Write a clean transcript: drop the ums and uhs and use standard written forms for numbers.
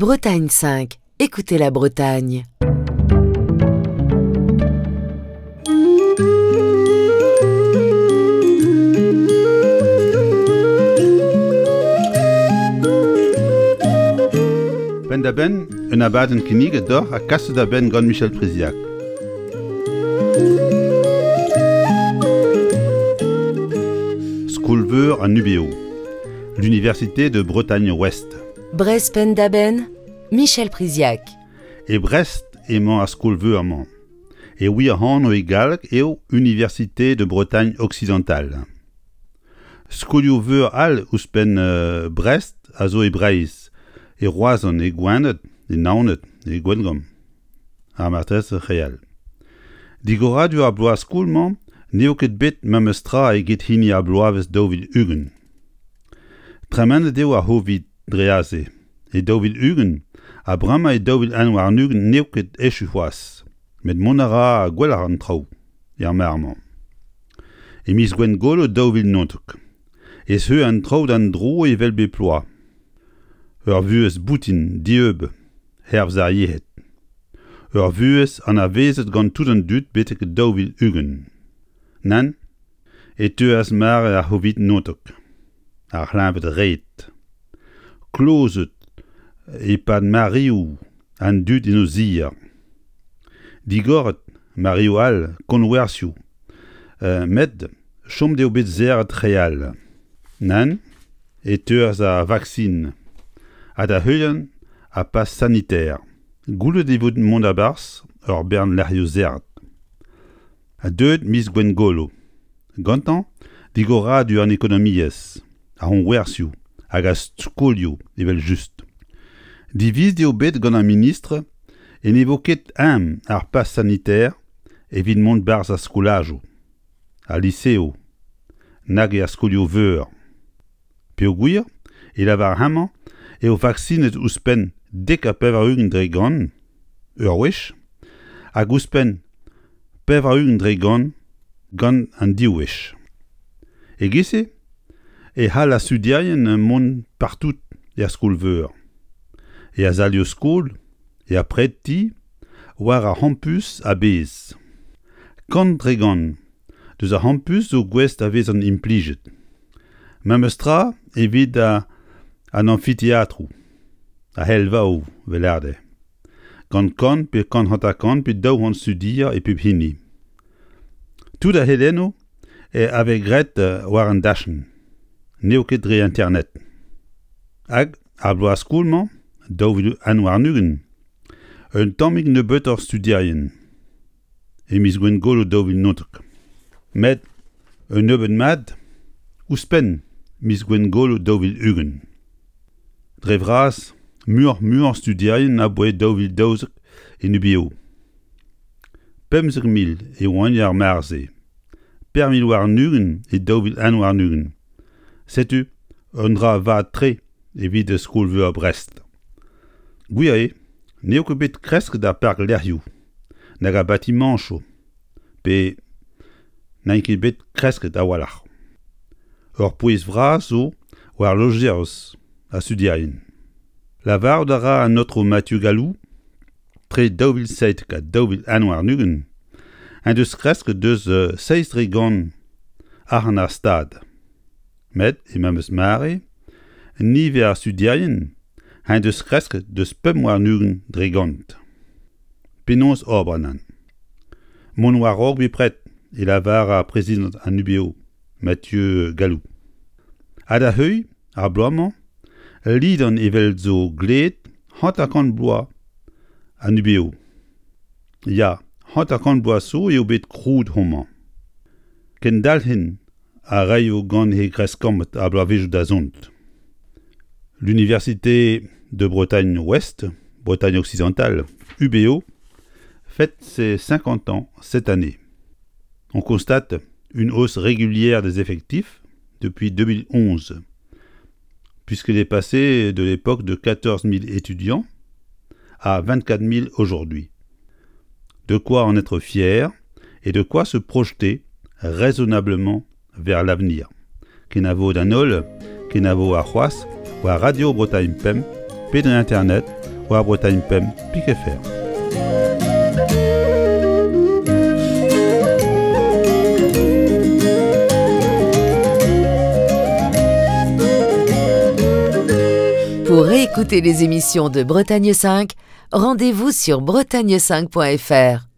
Bretagne 5, écoutez la Bretagne. Penn-da-benn, un abadenn kinniget deoc'h ha kaset da benn gant Michel Priziac. Skol-veur an UBO, l'Université de Bretagne Ouest. Brest penn-da-benn, Michel Priziac. E Brest emañ ar skol-veur-mañ. E wir anv e galleg eo Université de Bretagne Occidentale. Skolioù-veur all ouzhpenn Brest a zo e Breizh, e Roazhon, e Gwened, e Naoned, e Gwengamp ha marteze re all. Digoradur ar bloaz-skol-mañ n'eo ket bet memes tra eget hini ar bloavezh 2020. Tremenet eo ar C'hovid dre aze e 2020 ha bremañ e 2021 n'eo ket echu c'hoazh, met mont a ra gwelloc'h an traoù er mare-mañ. E miz Gwengolo 2019 e zeu an traoù d'an dro evel bep bloaz. Ur vuhez boutin dieub hervez ar yec'hed. Ur vuhez anavezet gant tout an dud betek 2020. Nann, e teuas mare ar C'hovid 19, ar c'hleñved-red. Klozet e-pad mareoù an dud en o zier. Digoret mareoù all konwerzhioù, met chomet eo bet serret re all. Nann, e teuas ar vaksin, ha da heuliañ ar pass sanitaire. Goullet e vo mont a-barzh ur bern lec'hioù serret. Ha deuet miz Gwengolo, gantañ digoradur an ekonomiezh, ar c'hoñwerzhioù hag ar skolioù evel-just. Divizet eo bet gant ar ministr e ne vo ket eñ ar pass sanitaire evit mont 'barzh ar skolajoù, al liseoù, nag er skolioù-veur. Peogwir e lavar hemañ eo vaksinet ouzhpenn 90% ur wech hag ouzhpenn 80% gant an div wech. E-giz-se e c'hall ar studierien mont partout er skol-veur, er salioù-skol, er predti, war ar c'hampus a-bezh. 100% deus ar c'hampus zo gouest da vezañ implijet. Memes tra evit an amfiteatroù, ar c'helvaoù 'vel lâret. Gant kant pe 150 pe 200 studier e pep hini. Tout ar c'helennoù a vez graet war an dachenn, n'eo ket dre internet. Hag ar bloaz skol-mañ, 2021, un tammig nebeutoc'h studierien. E miz Gwengolo 2019. Met un nebeud mat ouzhpenn miz Gwengolo 2020. Dre vras, muioc'h-muiañ studierien aboae 2012 en UBO. 15,000 e oant er mare-se, 4,020 e 2021. Setu un dra vat-tre evit Skol-veur Brest. Gwir eo n'eo ket bet kresket ar parklec'hioù nag ar batimañchoù pe n'int ket bet kresket a-walc'h. Ur pouez vras zo war lojeiz ar studierien. Lavarout a ra an aotrou Mathieu Gallou tre 2007 ha 2021 en deus kresket deus 7% arc'hant ar Stad. Met e memes mare, niver ar studierien en deus kresket deus 25%. Penaos ober nann? Mont war-raok bepred e lavar ar prezidant an UBO, Mathieu Gallou. Ha da heuilh ar bloaz-mañ, lidan evel zo gleet 50 bloaz an UBO. Ya, 50 bloaz zo eo bet krouet homañ. Kendalc'hin a raio gant he greskammed ar bloavezhioù da zont. L'Université de Bretagne Ouest, Bretagne Occidentale, UBO, fête ses 50 ans cette année. On constate une hausse régulière des effectifs depuis 2011, puisqu'elle est passée de l'époque de 14 000 étudiants à 24 000 aujourd'hui. De quoi en être fier et de quoi se projeter raisonnablement vers l'avenir. Kenavo d'an holl, kenavo ar c'hoazh war Radio Bretagne Pemp pe dre internet war Bretagne 5 pik FR. Pour réécouter les émissions de Bretagne 5, rendez-vous sur bretagne5.fr.